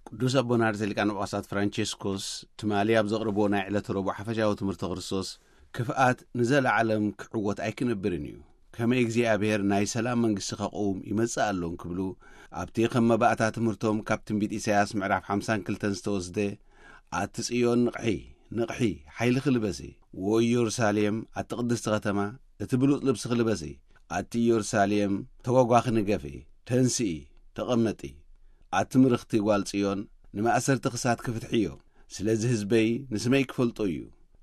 ቅዱስ ኣቦና ርእሰ ሊቃነ ጳጳሳት ፍራንቸስኮስ ትማሊ ኣብ ዘቕረብዎ ናይ ዕለተ ረቡዕ ሓፈሻዊ ትምህርቲ ክርስቶስ፣ ክፍኣት ንዘለዓለም ክዕወት ኣይክነብርን እዩ። ከመይ እግዚኣብሔር ናይ ሰላም መንግስቲ ከቕውም ይመጽእ ኣሎ እንክብሉ፣ ኣብቲ ከም መባእታ ትምህርቶም ካብ ትንቢት ኢሳያስ ምዕራፍ ሓምሳን ክልተን ዝተወስደ፣ ኣቲ ጽዮን ንቕሒ፣ ንቕሒ፣ ሓይልኺ ልበሲ፣ ወዮ ኢየሩሳሌም፣ ኣቲ ቅድስቲ ከተማ፣ እቲ ብሉጽ ልብስኺ ልበሲ፣ ኣቲ ኢየሩሳሌም፣ ተጓጓኺ ንገፊ፣ ተንስኢ፣ ተቐመጢ፣ ኣቲ ምርኽቲ ጓል ጽዮን፣ ንማእሰርቲ ክሳትኪ ፍትሕዮ። ስለዚ ህዝበይ ንስመይ ክፈልጦ እዩ።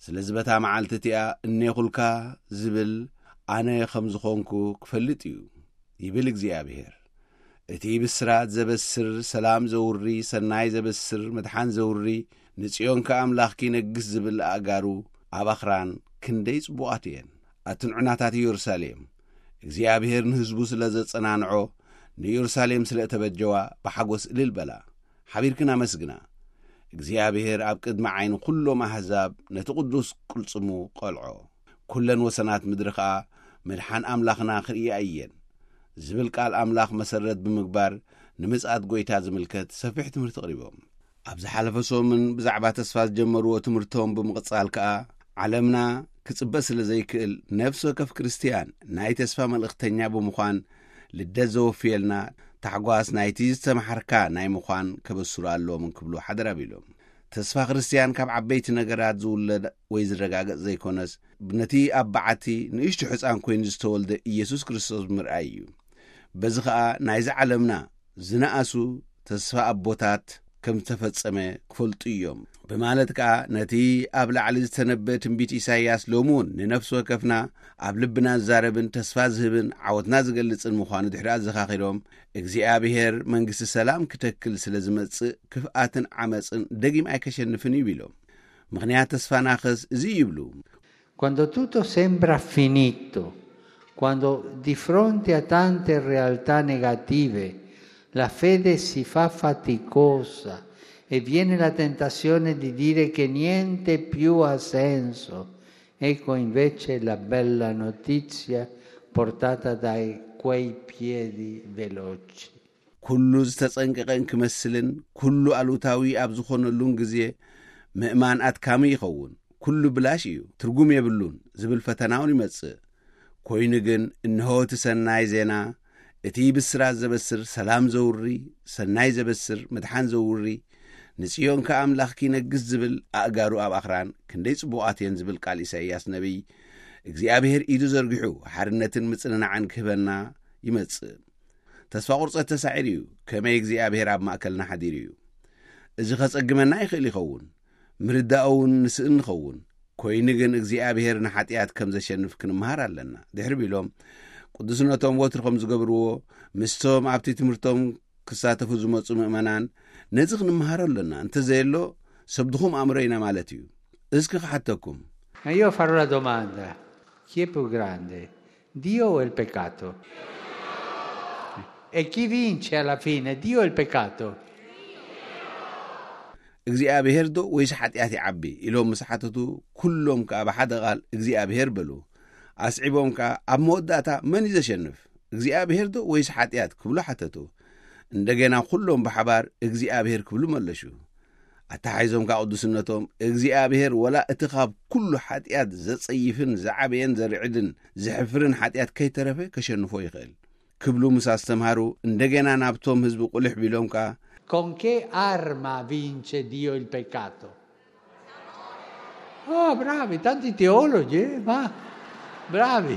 ስለዚ በታ መዓልቲ እቲኣ እኔኹልካ ዝብል ኣነ ከም ዝኾንኩ ክፈልጥ እዩ፣ ይብል እግዚኣብሔር። እቲ ብስራት ዘበስር፣ ሰላም ዘውሪ፣ ሰናይ ዘበስር፣ ምድሓን ዘውሪ፣ ንጽዮን ከኣ ኣምላኽኪ ይነግስ ዝብል ኣእጋሩ ኣብ ኣኽራን ክንደይ ጽቡቓት እየን። ኣትን ዑናታት ኢየሩሳሌም፣ እግዚኣብሔር ንህዝቡ ስለ ዘጸናንዖ፣ ንኢየሩሳሌም ስለ እተበጀዋ ብሓጎስ እልል በላ። ሓቢርክን ኣመስግና። እግዚኣብሔር ኣብ ቅድሚ ዓይኒ ኩሎም ኣህዛብ ነቲ ቅዱስ ቅልጽሙ ቐልዖ። ኩለን ወሰናት ምድሪ ኸኣ ምድሓን ኣምላኽና ክርእያ እየን ዝብል ቃል ኣምላኽ መሰረት ብምግባር፣ ንምጽኣት ጐይታ ዝምልከት ሰፊሕ ትምህርቲ ኣቕሪቦም። ኣብ ዝሓለፈ ሰሙን ብዛዕባ ተስፋ ዝጀመርዎ ትምህርቶም ብምቕጻል ከኣ፣ ዓለምና ክጽበ ስለ ዘይክእል፣ ነፍሲ ወከፍ ክርስትያን ናይ ተስፋ መልእኽተኛ ብምዃን፣ ልደት ዘወፍየልና ታሕጓስ ናይቲ ዝተመሓርካ ናይ ምዃን ከበስሩ ኣለዎም እንክብሉ ሓደራ ቢሎም። ተስፋ ክርስትያን ካብ ዓበይቲ ነገራት ዝውለድ ወይ ዝረጋገጽ ዘይኮነስ፣ ነቲ ኣብ በዓቲ ንእሽቶ ሕፃን ኮይኑ ዝተወልደ ኢየሱስ ክርስቶስ ብምርኣይ እዩ። በዚ ኸኣ ናይዚ ዓለምና ዝነኣሱ ተስፋ ኣቦታት ከም ዝተፈጸመ ክፈልጡ እዮም። ብማለት ከኣ ነቲ ኣብ ላዕሊ ዝተነበ ትንቢት ኢሳይያስ ሎሚ እውን ንነፍሲ ወከፍና ኣብ ልብና ዝዛረብን ተስፋ ዝህብን ዓወትና ዝገልጽን ምዃኑ ድሕሪ ኣዘኻኺሮም፣ እግዚኣብሔር መንግስቲ ሰላም ክተክል ስለ ዝመጽእ ክፍኣትን ዓመጽን ደጊም ኣይከሸንፍን እዩ ኢሎም። ምኽንያት ተስፋናኸስ እዚ እዩ ይብሉ። Quando tutto sembra finito, quando di fronte a tante realtà negative la fede si fa faticosa e viene la tentazione di dire che niente più ha senso, ecco invece la bella notizia portata da quei piedi veloci. ኩሉ ዝተጸንቀቐ እንክመስልን ኩሉ ኣሉታዊ ኣብ ዝኾነሉን ግዜ፣ ምእማን ኣድካሚ ይኸውን። ኩሉ ብላሽ እዩ፣ ትርጉም የብሉን ዝብል ፈተናውን ይመጽእ። ኮይኑ ግን እንሆ እቲ ሰናይ ዜና፣ እቲ ብስራት ዘበስር፣ ሰላም ዘውሪ፣ ሰናይ ዘበስር፣ ምድሓን ዘውሪ፣ ንጽዮን ከኣ ኣምላኽኪ ይነግስ ዝብል፣ ኣእጋሩ ኣብ ኣኽራን ክንደይ ጽቡቓት እየን ዝብል ቃል ኢሳይያስ ነቢይ፣ እግዚኣብሔር ኢዱ ዘርጊሑ ሓርነትን ምጽንናዕን ክህበና ይመጽእ። ተስፋ ቁርጸት ተሳዒሩ እዩ። ከመይ እግዚኣብሔር ኣብ ማእከልና ሓዲሩ እዩ። እዚ ኸጸግመና ይኽእል ይኸውን። ምርዳእ እውን ንስእን ንኸውን። ኮይኑ ግን እግዚኣብሔር ንሓጢኣት ከም ዘሸንፍ ክንምሃር ኣለና። ድሕሪ ቢሎም ቅዱስነቶም ወትሩ ከም ዝገብርዎ ምስቶም ኣብቲ ትምህርቶም ክሳተፉ ዝመጹ ምእመናን ነዚ ክንምሃሮ ኣለና። እንተዘየሎ ሰብ ድኹም ኣእምሮ ኢና ማለት እዩ። እስኪ ክሓተኩም። Ma io farò la domanda, chi è più grande, Dio o il peccato? E chi vince alla fine, Dio o il peccato? እግዚኣብሔር ዶ ወይስ ሓጢኣት ይዓቢ ኢሎም ምስ ሓተቱ፣ ኩሎም ከኣ ብሓደ ቃል እግዚኣብሔር በሉ። ኣስዒቦም ከኣ ኣብ መወዳእታ መን እዩ ዘሸንፍ? እግዚኣብሔር ዶ ወይስ ሓጢኣት ክብሉ ሓተቱ። እንደገና ኩሎም ብሓባር እግዚኣብሔር ክብሉ መለሹ። ኣተሓሒዞም ከኣ ቅዱስነቶም እግዚኣብሔር ወላ እቲ ካብ ኩሉ ሓጢኣት ዘጸይፍን ዝዓበየን ዘርዕድን ዘሕፍርን ሓጢኣት ከይተረፈ ከሸንፎ ይኽእል ክብሉ ምስ ኣስተምሃሩ፣ እንደገና ናብቶም ህዝቢ ቁልሕ ቢሎም ከኣ Con che arma vince Dio il peccato? Oh, bravi, tanti teologi, eh? Ma bravi.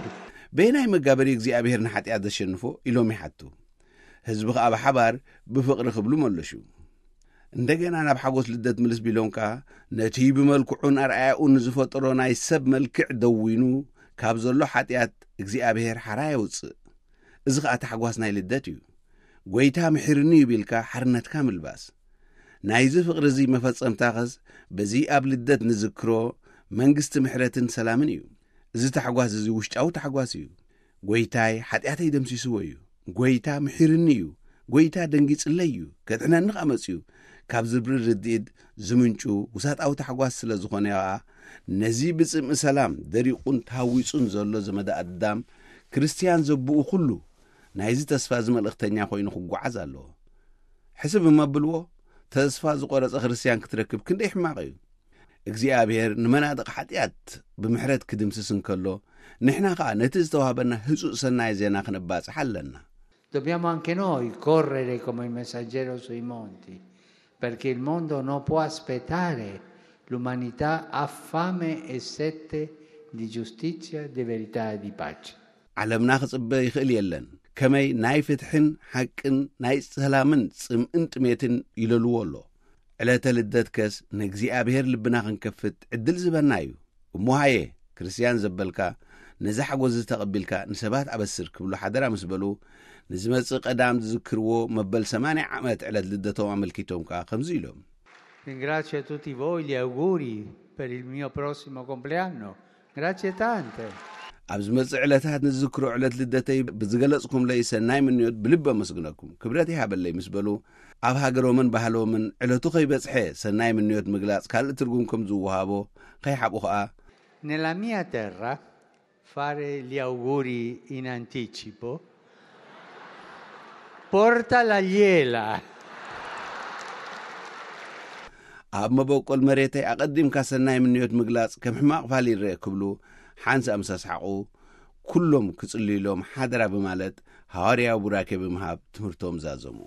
በየናይ መጋበሪ እግዚኣብሔር ንሓጢኣት ዘሸንፎ ኢሎም ይሓቱ። ህዝቢ ከኣ ብሓባር ብፍቕሪ ክብሉ መለሹ። እንደገና ናብ ሓጎስ ልደት ምልስ ቢሎም ከኣ ነቲ ብመልክዑን ኣርኣያኡን ዝፈጠሮ ናይ ሰብ መልክዕ ደዊኑ ካብ ዘሎ ሓጢኣት እግዚኣብሔር ሓራ የውጽእ። እዚ ኸኣ ታሕጓስ ናይ ልደት እዩ። ጐይታ ምሒርኒ እዩ ቢልካ ሓርነትካ ምልባስ። ናይዚ ፍቕሪ እዚ መፈጸምታኸስ በዚ ኣብ ልደት ንዝክሮ መንግስቲ ምሕረትን ሰላምን እዩ። እዚ ታሕጓስ እዚ ውሽጣዊ ታሕጓስ እዩ። ጐይታይ ሓጢኣተይ ደምሲስዎ እዩ። ጐይታ ምሒርኒ እዩ። ጐይታ ደንጊጽለይ እዩ። ከድሕነኒ ኸኣ መጺኡ ካብ ዝብል ርድኢት ዝምንጩ ውሳጣዊ ታሕጓስ ስለ ዝኾነ ኸኣ ነዚ ብጽምኢ ሰላም ደሪቑን ተሃዊጹን ዘሎ ዘመደ ኣዳም ክርስትያን ዘብኡ ኩሉ ናይዚ ተስፋ እዚ መልእኽተኛ ኮይኑ ክጓዓዝ ኣለዎ። ሕስብ እሞ ኣብልዎ፣ ተስፋ ዝቖረጸ ክርስትያን ክትረክብ ክንደይ ሕማቕ እዩ። እግዚኣብሔር ንመናድቕ ሓጢኣት ብምሕረት ክድምስስ እንከሎ፣ ንሕና ኸኣ ነቲ ዝተዋህበና ህጹጽ ሰናይ ዜና ክንባጽሕ ኣለና። Dobbiamo anche noi correre come il messaggero sui monti, perché il mondo non può aspettare, l'umanità ha fame e sete di giustizia, di verità e di pace. ዓለምና ክጽበ ይኽእል የለን። ከመይ ናይ ፍትሕን ሓቅን ናይ ሰላምን ጽምእን ጥሜትን ይለልዎ ኣሎ። ዕለተ ልደትከስ ንእግዚኣብሔር ልብና ክንከፍት ዕድል ዝበና እዩ። እሞ ሃየ፣ ክርስትያን ዘበልካ፣ ነዚ ሓጎስ እዚ ተቐቢልካ ንሰባት ኣበስር ክብሉ ሓደራ ምስ በሉ፣ ንዝመጽእ ቀዳም ዝዝክርዎ መበል ሰማንያ ዓመት ዕለት ልደቶም ኣመልኪቶም ከኣ ከምዚ ኢሎም። Ringrazio tutti voi, gli auguri per il mio prossimo compleanno. Grazie tante. ኣብ ዝመጽእ ዕለታት ንዝዝክሮ ዕለት ልደተይ ብዝገለጽኩምለይ ሰናይ ምንዮት ብልቢ ኣመስግነኩም። ክብረት ይሃበለይ ምስ በሉ፣ ኣብ ሃገሮምን ባህሎምን ዕለቱ ከይበጽሐ ሰናይ ምንዮት ምግላጽ ካልእ ትርጉም ከም ዝወሃቦ ከይሓብኡ ኸኣ፣ Nella mia terra fare gli auguri in anticipo porta la gliela. ኣብ መበቆል መሬተይ ኣቐዲምካ ሰናይ ምንዮት ምግላጽ ከም ሕማቕ ፋል ይረአ ክብሉ ሓንሳእ ምስ ኣስሓቑ፣ ኩሎም ክጽልዩሎም ሓደራ ብማለት ሃዋርያዊ ቡራኬ ብምሃብ ትምህርቶም ዛዘሙ።